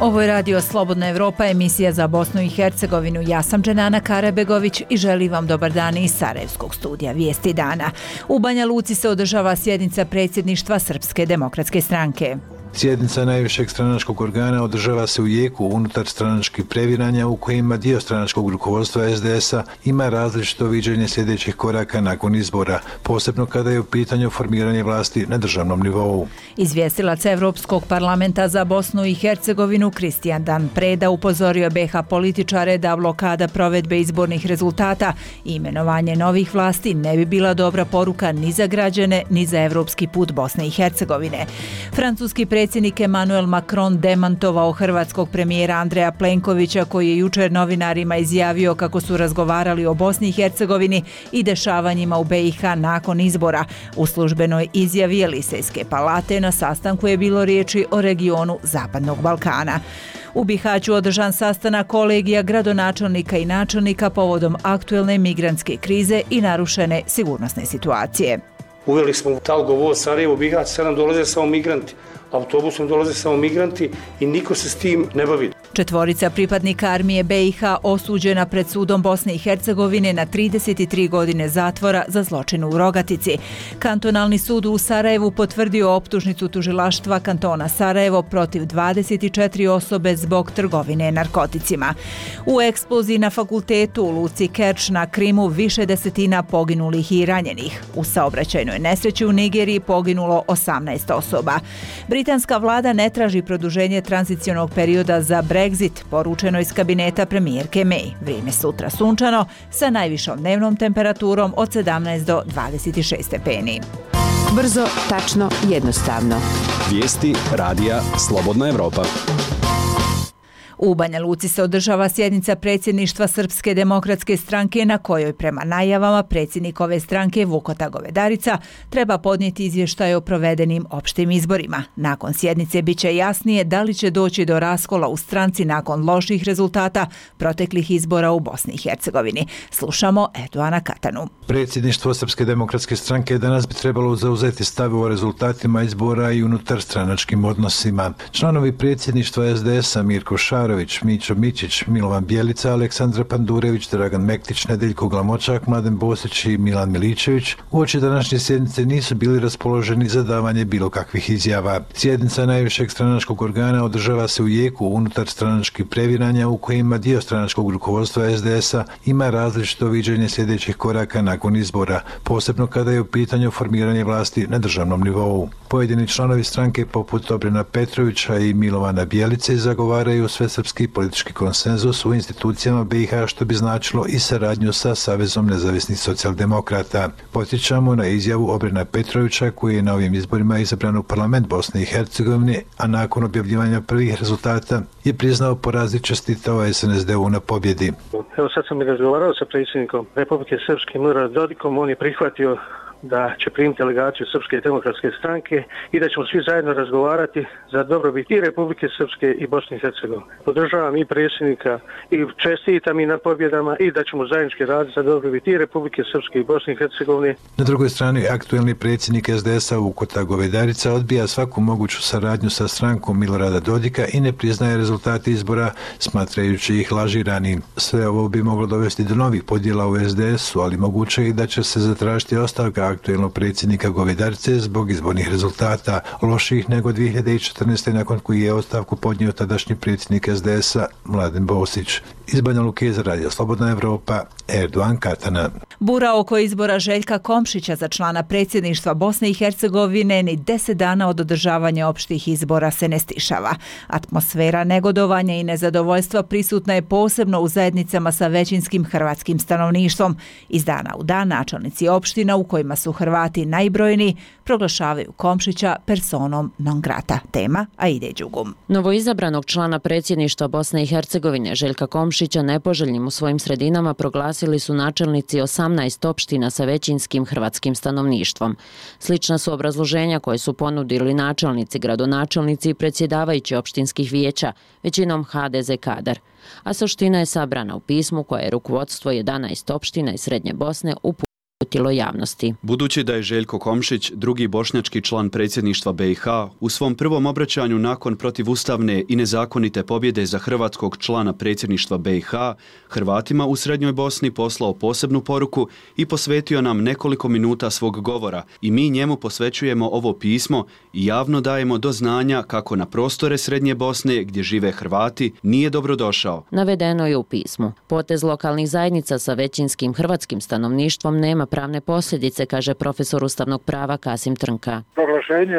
Ovo je Radio Slobodna Evropa, emisija za Bosnu i Hercegovinu. Ja sam Dženana Karabegović i želim vam dobar dan iz Sarajevskog studija Vijesti dana. U Banja Luci se održava sjednica predsjedništva Srpske demokratske stranke. Sjednica najvišeg stranačkog organa održava se u jeku unutar stranačkih previranja u kojima dio stranačkog rukovodstva SDS-a ima različito viđenje sljedećih koraka nakon izbora, posebno kada je u pitanju formiranje vlasti na državnom nivou. Izvjestilac Evropskog parlamenta za Bosnu i Hercegovinu Kristijan Dan Preda upozorio BiH političare da blokada provedbe izbornih rezultata i imenovanje novih vlasti ne bi bila dobra poruka ni za građane ni za evropski put Bosne i Hercegovine. Francuski predsjednik Emmanuel Macron demantovao hrvatskog premijera Andreja Plenkovića koji je jučer novinarima izjavio kako su razgovarali o Bosni i Hercegovini i dešavanjima u BiH nakon izbora. U službenoj izjavi Elisejske palate na sastanku je bilo riječi o regionu Zapadnog Balkana. U Bihaću održan sastanak kolegija gradonačelnika i načelnika povodom aktuelne migrantske krize i narušene sigurnosne situacije. Uveli smo Talgo voz Sarajevo, Bihać, sad nam dolaze samo migranti. Autobusom dolaze samo migranti i niko se s tim ne bavi. Četvorica pripadnika armije BiH osuđena pred sudom Bosne i Hercegovine na 33 godine zatvora za zločin u Rogatici. Kantonalni sud u Sarajevu potvrdio optužnicu tužilaštva kantona Sarajevo protiv 24 osobe zbog trgovine narkoticima. U eksploziji na fakultetu u luci Kerč na Krimu više desetina poginulih i ranjenih. U saobraćajnoj nesreći u Nigeriji poginulo 18 osoba. Britanska vlada ne traži produženje tranzicionog perioda za Brexit, poručeno iz kabineta premijerke May. Vrijeme sutra sunčano sa najvišom dnevnom temperaturom od 17 do 26 stepeni. Brzo, tačno, jednostavno. Vijesti Radija Slobodna Evropa. U Banja Luci se održava sjednica predsjedništva Srpske demokratske stranke na kojoj prema najavama predsjednik ove stranke Vukota Govedarica treba podnijeti izvještaj o provedenim opštim izborima. Nakon sjednice bit će jasnije da li će doći do raskola u stranci nakon loših rezultata proteklih izbora u Bosni i Hercegovini. Slušamo Erdoana Katanu. Predsjedništvo Srpske demokratske stranke danas bi trebalo zauzeti stav o rezultatima izbora i unutar stranačkim odnosima. Članovi predsjedništva SDS-a Mirko Šarović, Mićo Mićić, Milovan Bjelica, Aleksandra Pandurević, Dragan Mektić, Nedeljko Glamočak, Mladen Bosić i Milan Miličević uoči današnje sjednice nisu bili raspoloženi za davanje bilo kakvih izjava. Sjednica najvišeg stranačkog organa održava se u jeku unutar stranačkih previranja u kojima dio stranačkog rukovodstva SDS-a ima različito viđenje sljedećih koraka nakon izbora, posebno kada je u pitanju formiranje vlasti na državnom nivou. Pojedini članovi stranke poput Obrena Petrovića i Milovana Bjelice zagovaraju svesrpski politički konsenzus u institucijama BiH, što bi značilo i saradnju sa Savezom nezavisnih socijaldemokrata. Podsjećamo na izjavu Obrena Petrovića koji je na ovim izborima izabran u parlament Bosne i Hercegovine, a nakon objavljivanja prvih rezultata je priznao poraz i čestitao SNSD-u na pobjedi. Evo sad sam i razgovarao sa predsjednikom Republike Srpske Miloradom Dodikom, on je prihvatio da će primiti delegaciju Srpske demokratske stranke i da ćemo svi zajedno razgovarati za dobrobit i Republike Srpske i Bosne i Hercegovine. Podržavam i predsjednika i čestitam i na pobjedama i da ćemo zajednički raditi za dobrobit i Republike Srpske i Bosne i Hercegovine. Na drugoj strani, aktuelni predsjednik SDS-a Vukota Govedarica odbija svaku moguću saradnju sa strankom Milorada Dodika i ne priznaje rezultate izbora, smatrajući ih lažiranim. Sve ovo bi moglo dovesti do novih podjela u SDS-u, ali moguće je i da će se zatražiti ostavka aktuelnog predsjednika Govedarice zbog izbornih rezultata, loših nego 2014. nakon koji je ostavku podnio tadašnji predsjednik SDS-a Mladen Bosić. Iz Banja Luke za Radio Slobodna Evropa, Erdoan Katana. Bura oko izbora Željka Komšića za člana predsjedništva Bosne i Hercegovine ni 10 dana od održavanja opštih izbora se ne stišava. Atmosfera negodovanja i nezadovoljstva prisutna je posebno u zajednicama sa većinskim hrvatskim stanovništvom. Iz dana u dan načelnici opština u kojima su Hrvati najbrojniji proglašavaju Komšića personom non grata. Tema Aide Đugum. Novoizabranog člana predsjedništva Bosne i Hercegovine Željka Komšića nepoželjnim u svojim sredinama proglasili su načelnici 18 opština sa većinskim hrvatskim stanovništvom. Slična su obrazloženja koje su ponudili načelnici, gradonačelnici i predsjedavajući opštinskih vijeća, većinom HDZ kadar. A suština je sabrana u pismu koje je rukovodstvo 11 opština iz Srednje Bosne uputilo uputilo javnosti. Budući da je Željko Komšić, drugi bošnjački član predsjedništva BiH, u svom prvom obraćanju nakon protivustavne i nezakonite pobjede za hrvatskog člana predsjedništva BiH, Hrvatima u Srednjoj Bosni poslao posebnu poruku i posvetio nam nekoliko minuta svog govora i mi njemu posvećujemo ovo pismo i javno dajemo do znanja kako na prostore Srednje Bosne gdje žive Hrvati nije dobrodošao. Navedeno je u pismu. Potez lokalnih zajednica sa većinskim hrvatskim stanovništvom nema pravne posljedice, kaže profesor ustavnog prava Kasim Trnka. Proglašenje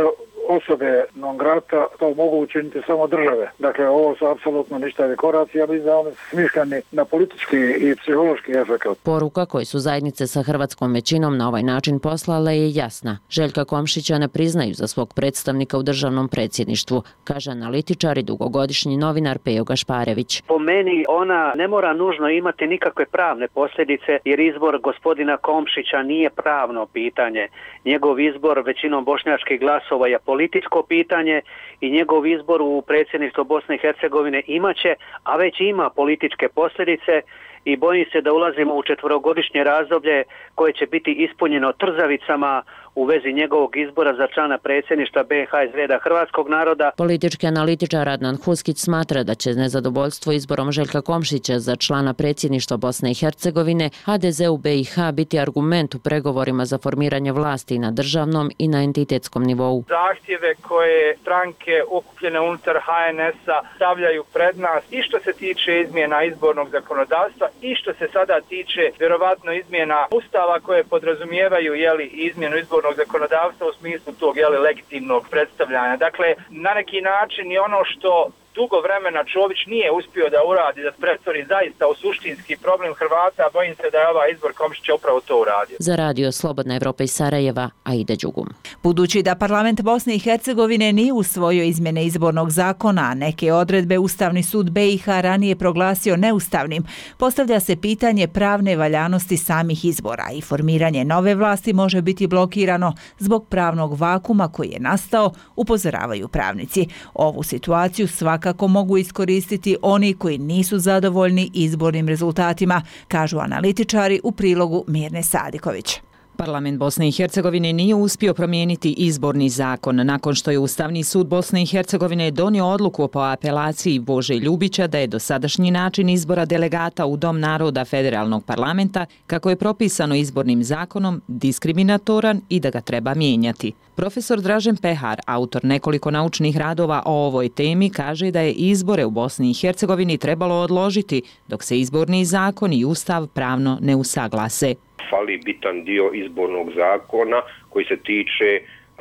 osobe non grata to mogu učiniti samo države. Dakle, ovo su apsolutno ništavi koraci, ja mislim da oni smišljeni na politički i psihološki efekt. Poruka koju su zajednice sa hrvatskom većinom na ovaj način poslale je jasna. Željka Komšića ne priznaju za svog predstavnika u državnom predsjedništvu, kaže analitičar i dugogodišnji novinar Pejo Gašparević. Po meni ona ne mora nužno imati nikakve pravne posljedice jer izbor gospodina Komšića nije pravno pitanje. Njegov izbor većinom bošnjačkih glasova je političko pitanje i njegov izbor u predsjedništvo Bosne i Hercegovine imaće, a već ima političke posljedice i bojim se da ulazimo u 4-godišnje razdoblje koje će biti ispunjeno trzavicama u vezi njegovog izbora za člana predsjedništva BiH iz reda hrvatskog naroda. Politički analitičar Adnan Huskić smatra da će nezadovoljstvo izborom Željka Komšića za člana predsjedništva Bosne i Hercegovine HDZ u BiH biti argument u pregovorima za formiranje vlasti na državnom i na entitetskom nivou. Zahtjeve koje stranke okupljene unutar HNS-a stavljaju pred nas i što se tiče izmjena izbornog zakonodavstva i što se sada tiče vjerovatno izmjena ustava koje podrazumijevaju izmjenu izbornog zakonodavstva u smislu tog legitimnog predstavljanja. Dakle, na neki način i ono što dugo vremena Čović nije uspio da uradi, da pretvori zaista u suštinski problem Hrvata, bojim se da je ovaj izbor Komšića upravo to uradio. Za radio Slobodna Evropa iz Sarajeva, Aida Đugum. Budući da parlament Bosne i Hercegovine nije usvojio izmjene izbornog zakona, a neke odredbe Ustavni sud BiH ranije proglasio neustavnim, postavlja se pitanje pravne valjanosti samih izbora i formiranje nove vlasti može biti blokirano zbog pravnog vakuma koji je nastao, upozoravaju pravnici. Ovu situaciju svakako mogu iskoristiti oni koji nisu zadovoljni izbornim rezultatima, kažu analitičari u prilogu Mirne Sadiković. Parlament Bosne i Hercegovine nije uspio promijeniti izborni zakon nakon što je Ustavni sud Bosne i Hercegovine donio odluku po apelaciji Bože Ljubića da je dosadašnji način izbora delegata u Dom naroda federalnog parlamenta, kako je propisano izbornim zakonom, diskriminatoran i da ga treba mijenjati. Profesor Dražen Pehar, autor nekoliko naučnih radova o ovoj temi, kaže da je izbore u Bosni i Hercegovini trebalo odložiti dok se izborni zakon i ustav pravno ne usaglase. Fali bitan dio izbornog zakona koji se tiče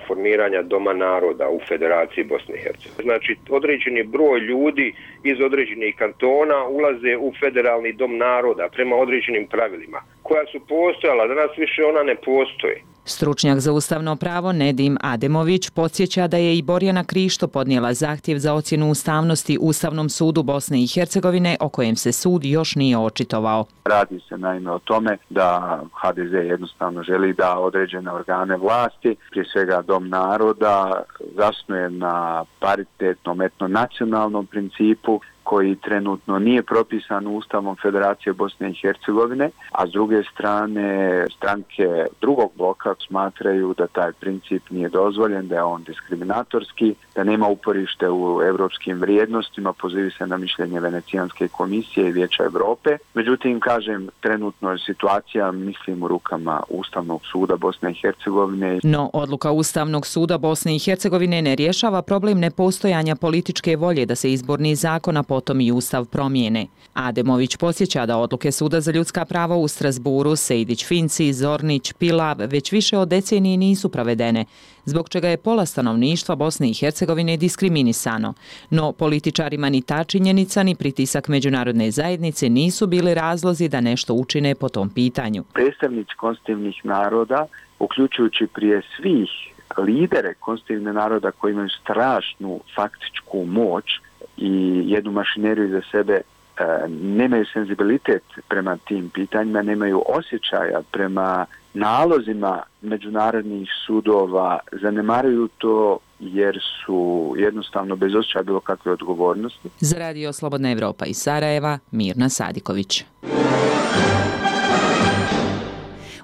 formiranja Doma naroda u Federaciji Bosne i Hercegovine. Znači, određeni broj ljudi iz određenih kantona ulaze u Federalni Dom naroda prema određenim pravilima koja su postojala, danas više ona ne postoji. Stručnjak za ustavno pravo Nedim Ademović podsjeća da je i Borjana Krišto podnijela zahtjev za ocjenu ustavnosti Ustavnom sudu Bosne i Hercegovine, o kojem se sud još nije očitovao. Radi se naime o tome da HDZ jednostavno želi da određene organe vlasti, prije svega Dom naroda, zasnuje na paritetnom etnonacionalnom principu koji trenutno nije propisan Ustavom Federacije Bosne i Hercegovine, a s druge strane stranke drugog bloka smatraju da taj princip nije dozvoljen, da je on diskriminatorski, da nema uporište u europskim vrijednostima, pozivi se na mišljenje Venecijanske komisije i Vijeća Europe. Međutim, kažem, trenutno je situacija, mislim, u rukama Ustavnog suda Bosne i Hercegovine. No, odluka Ustavnog suda Bosne i Hercegovine ne rješava problem nepostojanja političke volje da se izborni zakon, a potom i ustav promijene. Ademović podsjeća da odluke Suda za ljudska prava u Strasburu, Sejdić, Finci, Zornić, Pilav već više od decenije nisu provedene, zbog čega je pola stanovništva Bosne i Hercegovine diskriminisano. No, političarima ni ta činjenica ni pritisak međunarodne zajednice nisu bili razlozi da nešto učine po tom pitanju. Predstavnici konstitutivnih naroda, uključujući prije svih lidere konstitutivnih naroda koji imaju strašnu faktičku moć i jednu mašineriju za sebe, nemaju senzibilitet prema tim pitanjima, nemaju osjećaja prema nalozima međunarodnih sudova, zanemaruju to jer su jednostavno bez osjećaja bilo kakve odgovornosti. Za radio Slobodna Evropa iz Sarajeva, Mirna Sadiković.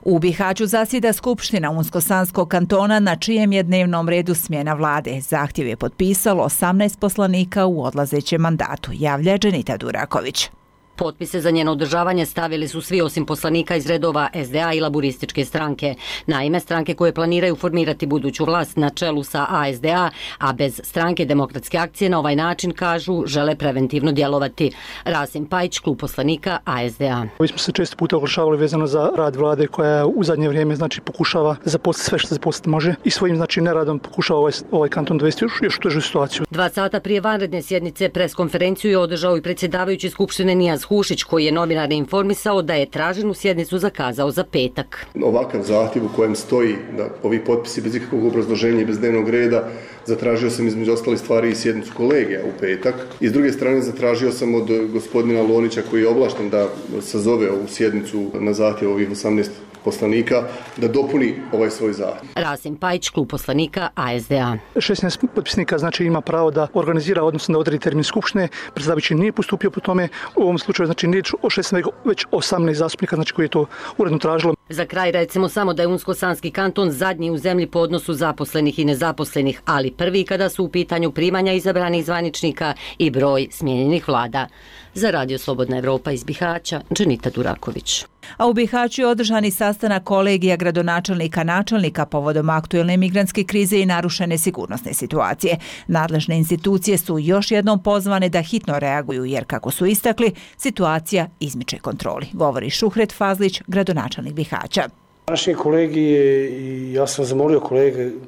U Bihaću zasjeda Skupština Unsko-Sanskog kantona na čijem je dnevnom redu smjena vlade. Zahtjev je potpisalo 18 poslanika u odlazećem mandatu, javlja Dženita Duraković. Potpise za njeno održavanje stavili su svi osim poslanika iz redova SDA i laburističke stranke. Naime, stranke koje planiraju formirati buduću vlast na čelu sa ASDA, a bez stranke Demokratske akcije na ovaj način, kažu, žele preventivno djelovati. Rasim Pajić, klub poslanika ASDA. Mi smo se često puta oglašavali vezano za rad vlade koja u zadnje vrijeme pokušava zaposliti sve što zaposliti može i svojim neradom pokušava ovaj kanton dovesti još u težu situaciju. 2 sata prije vanredne sjednice preskonferenciju je održao i predsjedavajući Skupštine Nijaz Hušić, koji je novinare informisao da je traženu sjednicu zakazao za petak. Ovakav zahtjev u kojem stoji da ovi potpisi bez ikakvog obrazloženja i bez dnevnog reda, zatražio sam između ostalih stvari i sjednicu kolegija u petak. I s druge strane zatražio sam od gospodina Lonića, koji je ovlašten da sazove ovu sjednicu na zahtjev ovih 18 poslanika, da dopuni ovaj svoj zahtjev. Rasim Pajić, klub poslanika ASDA. 16 potpisnika znači ima pravo da organizira, odnosno da odredi termin skupštine. Predsjedavajući nije postupio po tome. U ovom slučaju znači nije o 16 već 18 zastupnika znači koji je to uredno tražilo. Za kraj recimo samo da je Unsko-Sanski kanton zadnji u zemlji po odnosu zaposlenih i nezaposlenih, ali prvi kada su u pitanju primanja izabranih zvaničnika i broj smijenjenih vlada. Za Radio Slobodna Evropa iz Bihaća, Dženita Duraković. A u Bihaću je održani sastanak kolegija gradonačelnika načelnika povodom aktuelne migrantske krize i narušene sigurnosne situacije. Nadležne institucije su još jednom pozvane da hitno reaguju jer, kako su istakli, situacija izmiče kontroli. Govori Šuhret Fazlić, gradonačelnik Bihaća. Naši kolegi, i ja sam zamolio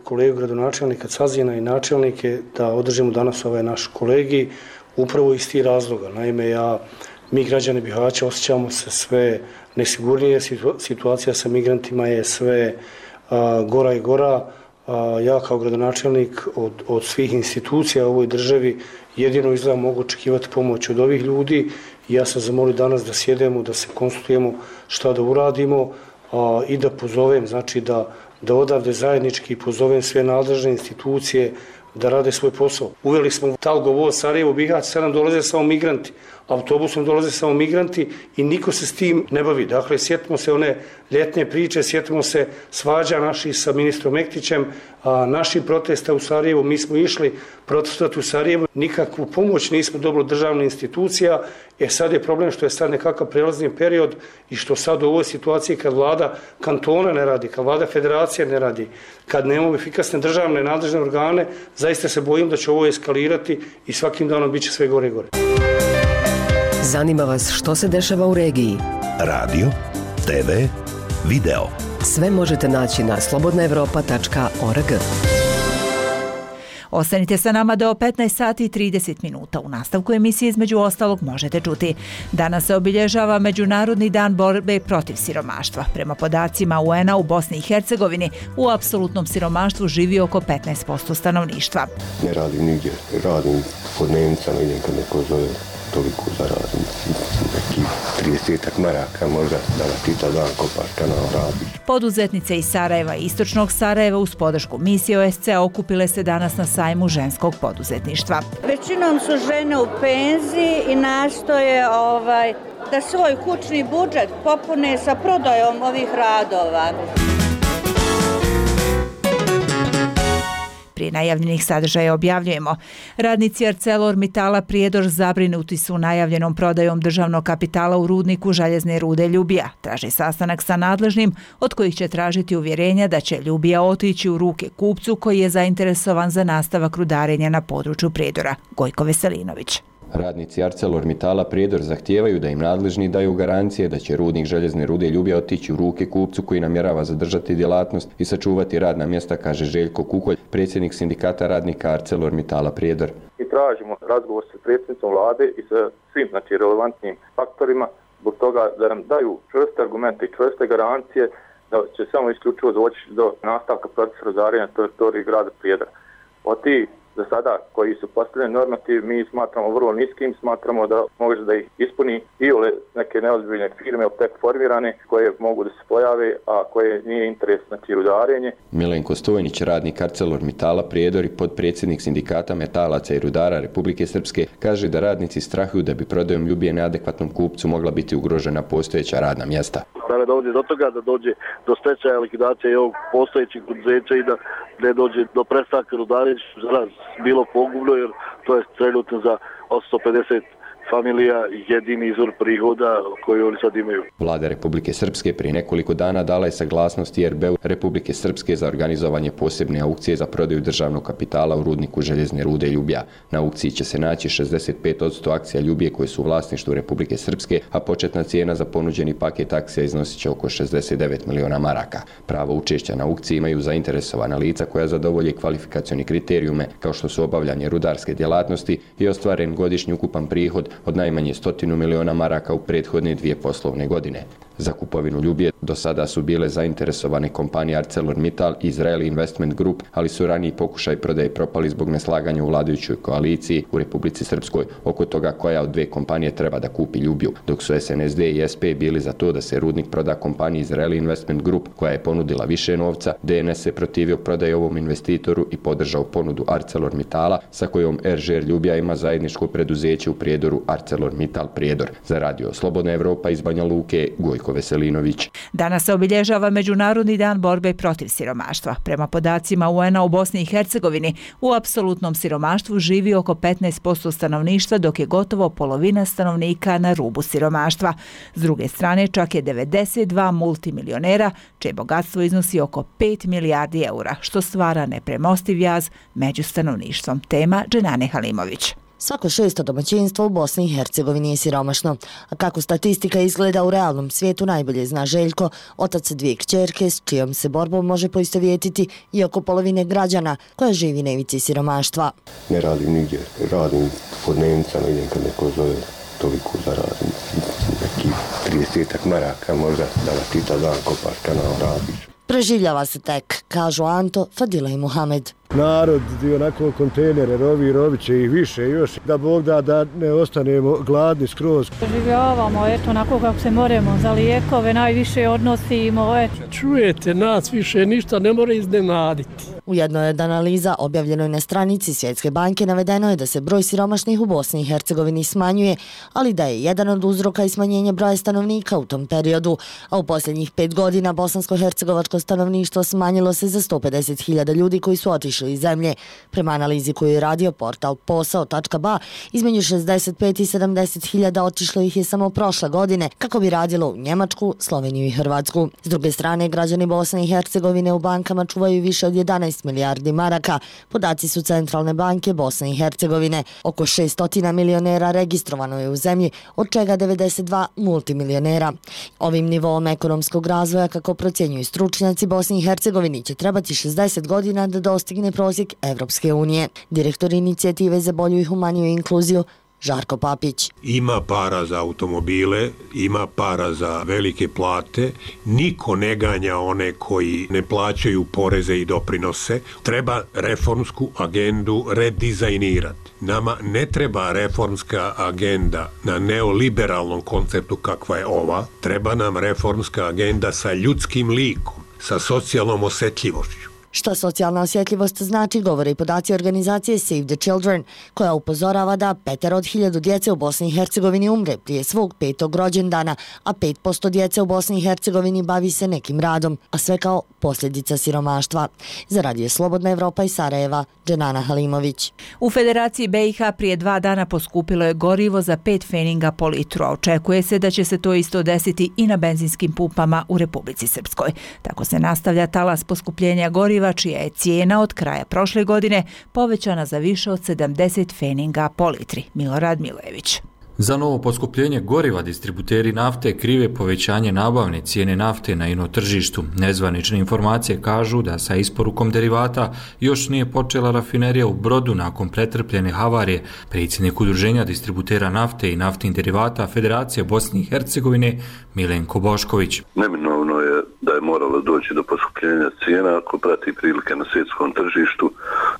kolegu gradonačelnika Cazina i načelnike da održimo danas ovaj naš kolegij upravo iz tih razloga. Naime, mi građani Bihaća osjećamo se sve nesigurnije, situacija sa migrantima je sve gora i gora. Ja kao gradonačelnik od svih institucija u ovoj državi jedino izgleda mogu očekivati pomoć od ovih ljudi i ja sam zamolio danas da sjedemo, da se konsultujemo šta da uradimo i da pozovem, znači da odavde zajednički pozovem sve nadležne institucije da rade svoj posao. Uveli smo Talgo voz Sarajevo Bihać, sad nam dolaze samo migranti. Autobusom dolaze samo migranti i niko se s tim ne bavi. Dakle, sjetimo se one ljetne priče, sjetimo se svađa naših sa ministrom Mektićem, naših protesta u Sarajevu. Mi smo išli protestati u Sarajevu, nikakvu pomoć nismo dobili od državne institucija. Sad je problem što je sad nekakav prelazni period i što sad u ovoj situaciji kad vlada kantona ne radi, kad vlada federacije ne radi, kad nemamo efikasne državne nadležne organe, zaista se bojim da će ovo eskalirati i svakim danom bit će sve gore i gore. Zanima vas što se dešava u regiji? Radio, TV, video. Sve možete naći na slobodnaevropa.org. Ostanite sa nama do 15 sati i 30 minuta. U nastavku emisije između ostalog možete čuti. Danas se obilježava Međunarodni dan borbe protiv siromaštva. Prema podacima UN-a u Bosni i Hercegovini u apsolutnom siromaštvu živi oko 15% stanovništva. Ne radim nigdje, radim pod dnevnicama, idem kad neko zove, toliko zaradim, neki 30 maraka možda da nas pita dan kopaš kanal radi. Poduzetnice iz Sarajeva i istočnog Sarajeva uz podršku misije OSCE okupile se danas na sajmu ženskog poduzetništva. Većinom su žene u penziji i nastoje da svoj kućni budžet popune sa prodajom ovih radova. Prije najavljenih sadržaja objavljujemo. Radnici ArcelorMittala Prijedor zabrinuti su najavljenom prodajom državnog kapitala u rudniku željezne rude Ljubija. Traže sastanak sa nadležnim, od kojih će tražiti uvjerenja da će Ljubija otići u ruke kupcu koji je zainteresovan za nastavak rudarenja na području Prijedora. Gojko Veselinović. Radnici ArcelorMittala Prijedor zahtijevaju da im nadležni daju garancije da će rudnik željezne rude Ljubija otići u ruke kupcu koji namjerava zadržati djelatnost i sačuvati radna mjesta, kaže Željko Kukolj, predsjednik sindikata radnika ArcelorMittala Prijedor. I tražimo razgovor sa predsjednicom vlade i sa svim relevantnim faktorima zbog toga da nam daju čvrste argumente i čvrste garancije da će samo isključivo doći do nastavka procesa rudarenja na teritoriji grada Prijedora. Od tih za sada koji su postavljeni normativ mi smatramo vrlo niskim, smatramo da može da ih ispuni i neke neozbiljne firme tek formirane koje mogu da se pojave, a koje nije interes rudarenje. Milenko Stojnić, radnik ArcelorMittala Prijedor i podpredsjednik sindikata metalaca i rudara Republike Srpske, kaže da radnici strahuju da bi prodajom Ljubije neadekvatnom kupcu mogla biti ugrožena postojeća radna mjesta. da ne dođe do toga, da dođe do stečaja, likvidacije ovog postojećeg poduzeća i da ne dođe do prestanka rudarenja, što za nas bilo pogubno, jer to je trenutno za 150 familija jedini izvor prihoda koji oni sad imaju. Vlada Republike Srpske prije nekoliko dana dala je saglasnost IRB-u Republike Srpske za organizovanje posebne aukcije za prodaju državnog kapitala u rudniku željezne rude Ljubija. Na aukciji će se naći 65% akcija Ljubije koje su u vlasništvu Republike Srpske, a početna cijena za ponuđeni paket akcija iznosit će oko 69 miliona maraka. Pravo učešća na aukciji imaju zainteresovana lica koja zadovolje kvalifikacioni kriterijume kao što su obavljanje rudarske djelatnosti i ostvaren godišnji ukupan prihod od najmanje 100 miliona maraka u prethodne 2 poslovne godine. Za kupovinu Ljubije do sada su bile zainteresovane kompanije ArcelorMittal i Israeli Investment Group, ali su raniji pokušaj prodaje propali zbog neslaganja u vladajućoj koaliciji u Republici Srpskoj oko toga koja od dvije kompanije treba da kupi Ljubiju, dok su SNSD i SP bili za to da se rudnik proda kompaniji Israeli Investment Group koja je ponudila više novca. DNS se protivio prodaje ovom investitoru i podržao ponudu ArcelorMittala sa kojom RŽR Ljubija ima zajedničko preduzeće u Prijedoru ArcelorMittal Prijedor. Za Radio Slobodna Evropa iz Banja Luke, Gojko Veselinović. Danas se obilježava Međunarodni dan borbe protiv siromaštva. Prema podacima UN-a u Bosni i Hercegovini, u apsolutnom siromaštvu živi oko 15% stanovništva, dok je gotovo polovina stanovnika na rubu siromaštva. S druge strane, čak je 92 multimilionera, čije bogatstvo iznosi oko 5 milijardi eura, što stvara nepremostiv jaz među stanovništvom. Tema Dženane Halimović. Svako 6. domaćinstvo u Bosni i Hercegovini je siromašno. A kako statistika izgleda u realnom svijetu najbolje zna Željko, otac 2 kćerke s čijom se borbom može poistovjetiti i oko polovine građana koja živi na ivici siromaštva. Ne radim nigdje, radim po dnevnicama, idem kad neko zove, toliko zaradim. Neki 30 maraka možda da natita dan kopaš kanal radiš. Preživljava se tek, kažu Anto, Fadila i Muhamed. Narod dio onako kontejnere, rovi će ih više još, da Bog da ne ostanemo gladni skroz. Preživljavamo, eto, onako kako se moramo, za lijekove najviše odnosimo, eto. Čujete, nas više ništa ne mora iznenaditi. U jednoj od analiza objavljenoj na stranici Svjetske banke navedeno je da se broj siromašnih u Bosni i Hercegovini smanjuje, ali da je jedan od uzroka i smanjenje broja stanovnika u tom periodu, a u posljednjih 5 godina bosansko-hercegovačko stanovništvo smanjilo se za 150.000 ljudi koji su otišli iz zemlje. Prema analizi koju je radio portal posao.ba, između 65 i 70.000 otišlo ih je samo prošle godine, kako bi radilo u Njemačku, Sloveniju i Hrvatsku. S druge strane, građani Bosne i Hercegovine u bankama čuvaju više od 11 milijardi maraka. Podaci su Centralne banke Bosne i Hercegovine. Oko 600 milionera registrovano je u zemlji, od čega 92 multimilionera. Ovim nivom ekonomskog razvoja, kako procjenjuju stručnjaci, Bosni i Hercegovini će trebati 60 godina da dostigne prosjek Evropske unije. Direktor inicijative za bolju i humaniju inkluziju Žarko Papić. Ima para za automobile, ima para za velike plate, niko ne ganja one koji ne plaćaju poreze i doprinose. Treba reformsku agendu redizajnirati. Nama ne treba reformska agenda na neoliberalnom konceptu kakva je ova. Treba nam reformska agenda sa ljudskim likom, sa socijalnom osjetljivošću. Šta socijalna osjetljivost znači, govore i podaci organizacije Save the Children, koja upozorava da 5 od 1000 djece u Bosni i Hercegovini umre prije svog 5. rođendana, a 5% djece u Bosni i Hercegovini bavi se nekim radom, a sve kao posljedica siromaštva. Za Radio Slobodna Evropa iz Sarajeva, Dženana Halimović. U Federaciji BiH prije 2 dana poskupilo je gorivo za 5 pfeninga po litru, a očekuje se da će se to isto desiti i na benzinskim pumpama u Republici Srpskoj. Tako se nastavlja talas poskupljenja goriva, čija je cijena od kraja prošle godine povećana za više od 70 pfeninga po litri. Milorad Milojević. Za novo poskupljenje goriva distributeri nafte krive povećanje nabavne cijene nafte na ino tržištu. Nezvanične informacije kažu da sa isporukom derivata još nije počela rafinerija u Brodu nakon pretrpljene havarije. Predsjednik Udruženja distributera nafte i naftnih derivata Federacije Bosne i Hercegovine Milenko Bošković. Neminovno je da je moralo doći do poskupljenja cijena. Ako prati prilike na svjetskom tržištu,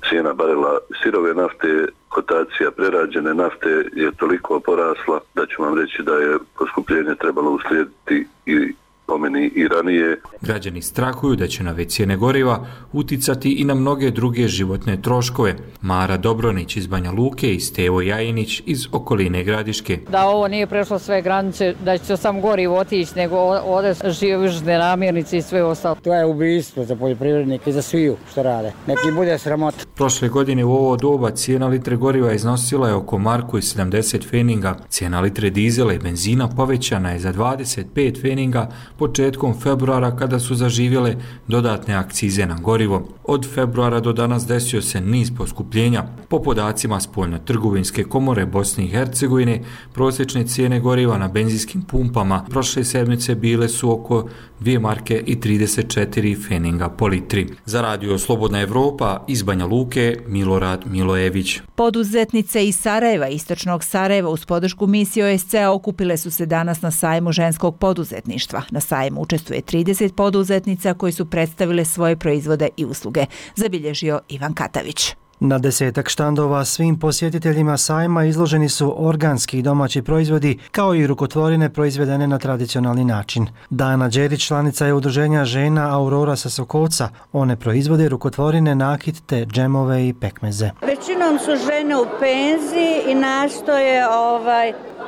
cijena barela sirove nafte, kotacija prerađene nafte je toliko porasla da ću vam reći da je poskupljenje trebalo uslijediti i po promeni i ranije. Građani strahuju da će nove cijene goriva uticati i na mnoge druge životne troškove. Mara Dobronić iz Banja Luke i Stevo Jajinić iz okoline Gradiške. Da ovo nije prešlo sve granice, da će sam gorivo otići, nego ovdje žive namirnice i sve ostalo. To je ubijstvo za poljoprivrednike i za sviju što rade. Neki bude sramota. Prošle godine u ovo doba cijena litre goriva iznosila je oko marku i 70 feninga. Cijena litre dizela i benzina povećana je za 25 feninga početkom februara kada su zaživjele dodatne akcize na gorivo. Od februara do danas desio se niz poskupljenja. Po podacima Spoljno-trgovinske komore Bosne i Hercegovine, prosječne cijene goriva na benzinskim pumpama prošle sedmice bile su oko 2 marke i 34 feninga po litri. Za radio Slobodna Evropa iz Banja Luke, Milorad Milojević. Poduzetnice iz Sarajeva, istočnog Sarajeva, uz podršku misije OSCE okupile su se danas na sajmu ženskog poduzetništva. Na sajmu učestvuje 30 poduzetnica koji su predstavile svoje proizvode i usluge, zabilježio Ivan Katavić. Na 10 štandova svim posjetiteljima sajma izloženi su organski i domaći proizvodi, kao i rukotvorine proizvedene na tradicionalni način. Dana Đerić, članica je udruženja žena Aurora sa Sokoca. One proizvode rukotvorine, nakit te džemove i pekmeze. Većinom su žene u penziji i nastoje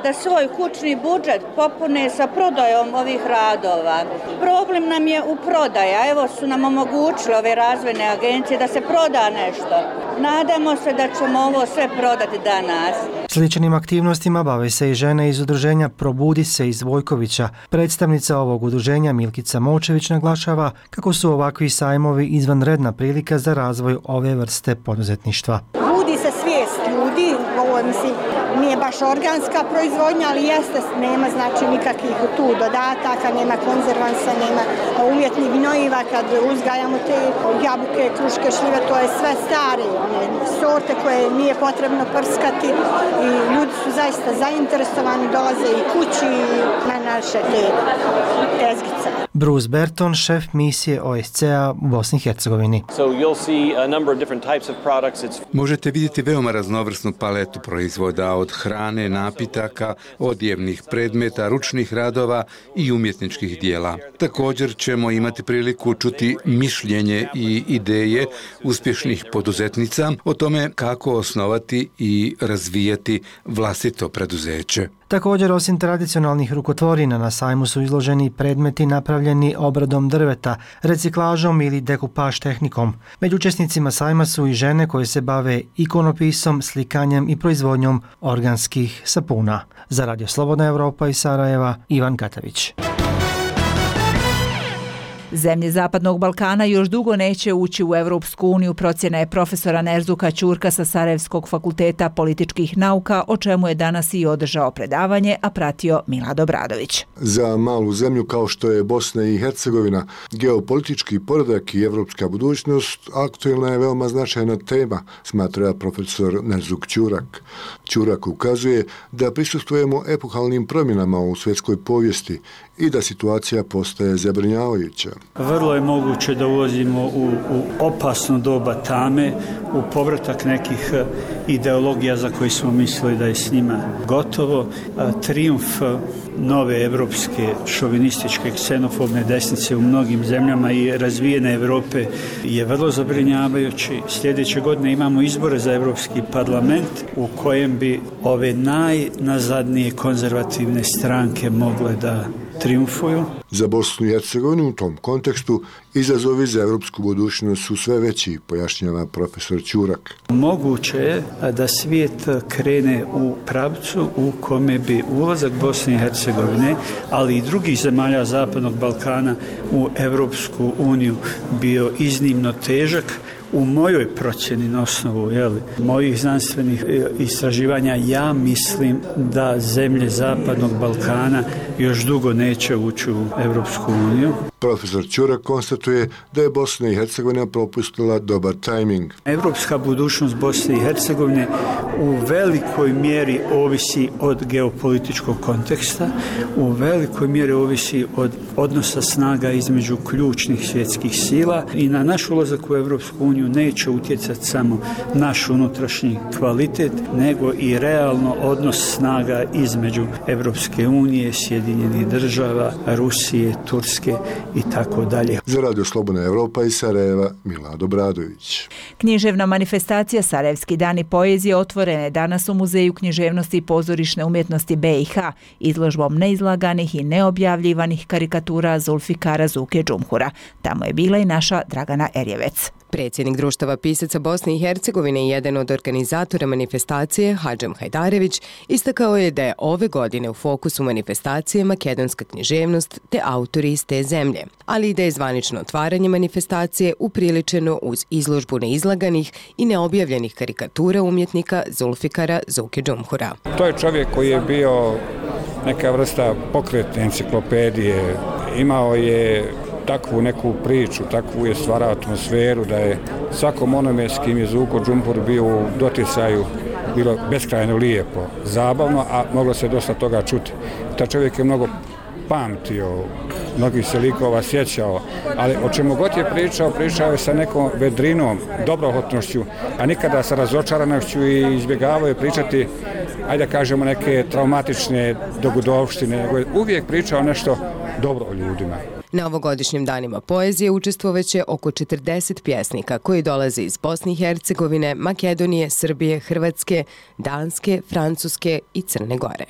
da svoj kućni budžet popune sa prodajom ovih radova. Problem nam je u prodaja. Evo su nam omogućile ove razvojne agencije da se proda nešto. Nadamo se da ćemo ovo sve prodati danas. Sličnim aktivnostima bave se i žene iz udruženja Probudi se iz Vojkovića. Predstavnica ovog udruženja Milkica Močević naglašava kako su ovakvi sajmovi izvanredna prilika za razvoj ove vrste poduzetništva. Budi se svijest ljudi, ovo nije baš organska proizvodnja, ali jeste, nema znači nikakvih tu dodataka, nema konzervansa, nema umjetnih gnojiva. Kad uzgajamo te jabuke, kruške, šljive, to je sve stare sorte koje nije potrebno prskati i ljudi su zaista zainteresovani, dolaze i kući na naše te tezgice. Bruce Berton, šef misije OSCE-a u Bosni i Hercegovini. Možete vidjeti veoma raznovrsnu paletu proizvoda, od hrane, napitaka, odjevnih predmeta, ručnih radova i umjetničkih dijela. Također ćemo imati priliku čuti mišljenje i ideje uspješnih poduzetnica o tome kako osnovati i razvijati vlastito preduzeće. Također, osim tradicionalnih rukotvorina, na sajmu su izloženi predmeti napravljeni obradom drveta, reciklažom ili dekupaž tehnikom. Među učesnicima sajma su i žene koje se bave ikonopisom, slikanjem i proizvodnjom organskih sapuna. Za Radio Slobodna Evropa iz Sarajeva, Ivan Katavić. Zemlje Zapadnog Balkana još dugo neće ući u Evropsku uniju, procjena je profesora Nerzuka Ćurka sa Sarajevskog fakulteta političkih nauka, o čemu je danas i održao predavanje, a pratio Milad Obradović. Za malu zemlju kao što je Bosna i Hercegovina, geopolitički poredak i evropska budućnost aktuelna je veoma značajna tema, smatra profesor Nerzuk Ćurak. Ćurak ukazuje da prisustvujemo epohalnim promjenama u svjetskoj povijesti i da situacija postaje zabrinjavajuća. Vrlo je moguće da ulazimo u opasno doba tame, u povratak nekih ideologija za koje smo mislili da je s njima gotovo. Trijumf nove evropske šovinističke ksenofobne desnice u mnogim zemljama i razvijene Europe je vrlo zabrinjavajući. Sljedeće godine imamo izbore za Evropski parlament u kojem bi ove najnazadnije konzervativne stranke mogle da triumfuju. Za Bosnu i Hercegovinu u tom kontekstu izazovi za evropsku budućnost su sve veći, pojašnjava profesor Ćurak. Moguće je da svijet krene u pravcu u kome bi ulazak Bosne i Hercegovine, ali i drugih zemalja Zapadnog Balkana u Evropsku uniju bio iznimno težak. U mojoj procjeni na osnovu mojih znanstvenih istraživanja ja mislim da zemlje Zapadnog Balkana još dugo neće ući u Evropsku uniju. Profesor Ćurak konstatuje da je Bosna i Hercegovina propustila dobar tajming. Evropska budućnost Bosne i Hercegovine u velikoj mjeri ovisi od geopolitičkog konteksta, u velikoj mjeri ovisi od odnosa snaga između ključnih svjetskih sila i na naš ulazak u Evropsku uniju uniju neće utjecati samo naš unutrašnji kvalitet, nego i realno odnos snaga između Evropske unije, Sjedinjenih država, Rusije, Turske i tako dalje. Za Radio Slobodna Evropa iz Sarajeva, Milad Obradović. Književna manifestacija Sarajevski dani poezije otvorena je danas u Muzeju književnosti i pozorišne umjetnosti BiH izložbom neizlaganih i neobjavljivanih karikatura Zulfikara Zuke Džumhura. Tamo je bila i naša Dragana Erjevec. Predsjednik Društava pisaca Bosne i Hercegovine i jedan od organizatora manifestacije, Hadžem Hajdarević, istakao je da je ove godine u fokusu manifestacije makedonska književnost te autori iz te zemlje, ali i da je zvanično otvaranje manifestacije upriličeno uz izložbu neizlaganih i neobjavljenih karikatura umjetnika Zulfikara Zuke Džumhura. To je čovjek koji je bio neka vrsta pokretne enciklopedije, imao je takvu neku priču, takvu je stvarao atmosferu da je svakom onome s kim je Zuko Džumhur bio u doticaju bilo beskrajno lijepo, zabavno, a moglo se dosta toga čuti. Ta čovjek je mnogo pamtio, mnogih se likova sjećao, ali o čemu god je pričao je sa nekom vedrinom, dobrohotnošću, a nikada sa razočaranošću i izbjegavao je pričati, ajde da kažemo, neke traumatične dogodovštine, nego je uvijek pričao nešto dobro o ljudima. Na ovogodišnjim danima poezije učestvovaće oko 40 pjesnika koji dolaze iz Bosne i Hercegovine, Makedonije, Srbije, Hrvatske, Danske, Francuske i Crne Gore.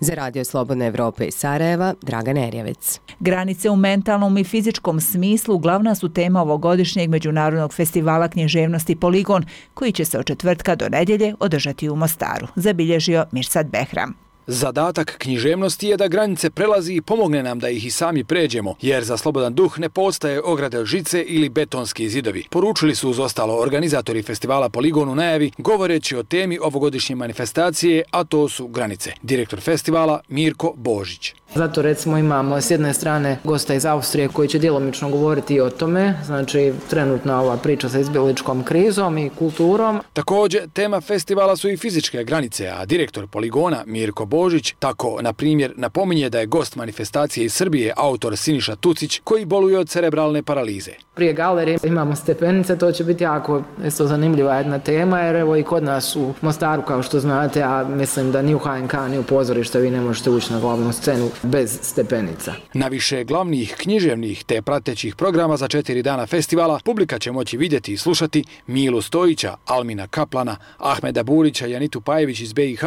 Za Radio Slobodna Evropa iz Sarajeva, Dragan Erjevec. Granice u mentalnom i fizičkom smislu glavna su tema ovogodišnjeg Međunarodnog festivala književnosti Poligon, koji će se od četvrtka do nedjelje održati u Mostaru, zabilježio Mirsad Behram. Zadatak književnosti je da granice prelazi i pomogne nam da ih i sami pređemo, jer za slobodan duh ne postaje ograde žice ili betonski zidovi. Poručili su uz ostalo organizatori festivala Poligon u najavi, govoreći o temi ovogodišnje manifestacije, a to su granice. Direktor festivala Mirko Božić. Zato recimo imamo s jedne strane gosta iz Austrije koji će djelomično govoriti i o tome, znači trenutna ova priča sa izbjegličkom krizom i kulturom. Također, tema festivala su i fizičke granice, a direktor Poligona Mirko Božić tako, na primjer, napominje da je gost manifestacije iz Srbije autor Siniša Tucić koji boluje od cerebralne paralize. Prije galerije imamo stepenice, to će biti jako isto zanimljiva jedna tema, jer evo i kod nas u Mostaru, kao što znate, a mislim da ni u HNK, ni u pozorište vi ne možete ući na glavnu scenu bez stepenica. Na više glavnih književnih te pratećih programa za 4 dana festivala publika će moći vidjeti i slušati Milu Stojića, Almina Kaplana, Ahmeda Burića, Janitu Pajević iz BiH,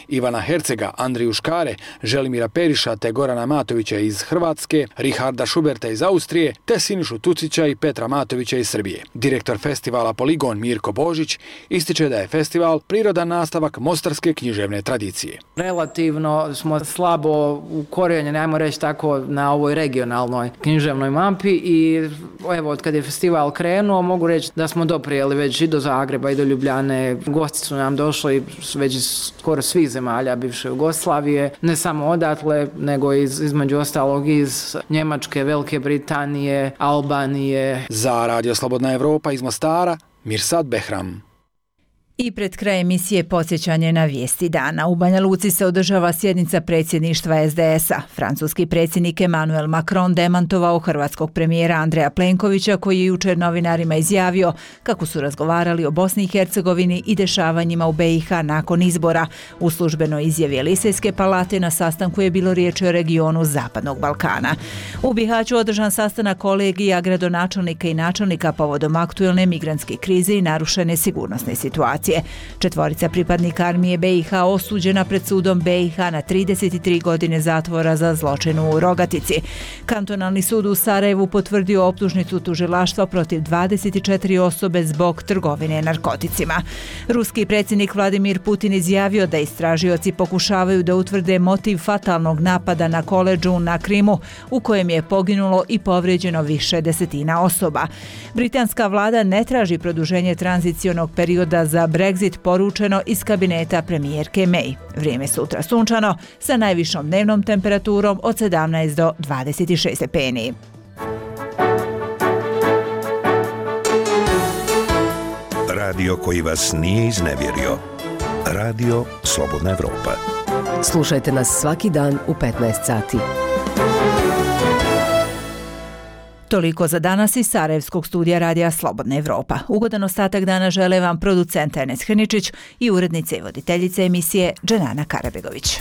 Ivana Hercega, Andriju Škare, Želimira Periša te Gorana Matovića iz Hrvatske, Richarda Schuberta iz Austrije te Sinišu Tucića i Petra Matovića iz Srbije. Direktor festivala Poligon Mirko Božić ističe da je festival prirodan nastavak mostarske književne tradicije. Relativno smo slabo ukorijenjeni, ajmo reći tako, na ovoj regionalnoj književnoj mapi i evo, od kad je festival krenuo, mogu reći da smo doprijeli već i do Zagreba i do Ljubljane. Gosti su nam došli već iz skoro svih zemalja bivše Jugoslavije, ne samo odatle, nego između ostalog iz Njemačke, Velike Britanije, Albanije. Za Radio Slobodna Evropa iz Mostara, Mirsad Behram. I pred kraj emisije podsjećanje na vijesti dana. U Banja Luci se održava sjednica predsjedništva SDS-a. Francuski predsjednik Emmanuel Macron demantovao hrvatskog premijera Andreja Plenkovića, koji je jučer novinarima izjavio kako su razgovarali o Bosni i Hercegovini i dešavanjima u BiH nakon izbora. U službenoj izjavi Elisejske palate na sastanku je bilo riječi o regionu Zapadnog Balkana. U Bihaću održan sastanak kolegija gradonačelnika i načelnika povodom aktuelne migrantske krize i narušene sigurnosne situacije. 4 pripadnika armije BiH osuđena pred sudom BiH na 33 godine zatvora za zločin u Rogatici. Kantonalni sud u Sarajevu potvrdio optužnicu tužilaštva protiv 24 osobe zbog trgovine narkoticima. Ruski predsjednik Vladimir Putin izjavio da istražioci pokušavaju da utvrde motiv fatalnog napada na koledžu na Krimu, u kojem je poginulo i povrijeđeno više desetina osoba. Britanska vlada ne traži produženje tranzicionog perioda za Brexit, poručeno iz kabineta premijerke May. Vrijeme sutra sunčano sa najvišom dnevnom temperaturom od 17 do 26 stepeni. Radio koji vas nije iznevjerio. Radio Slobodna Evropa. Slušajte nas svaki dan u 15 sati. Toliko za danas iz Sarajevskog studija Radija Slobodna Evropa. Ugodan ostatak dana žele vam producent Enes Hrničić i urednica i voditeljica emisije Dženana Karabegović.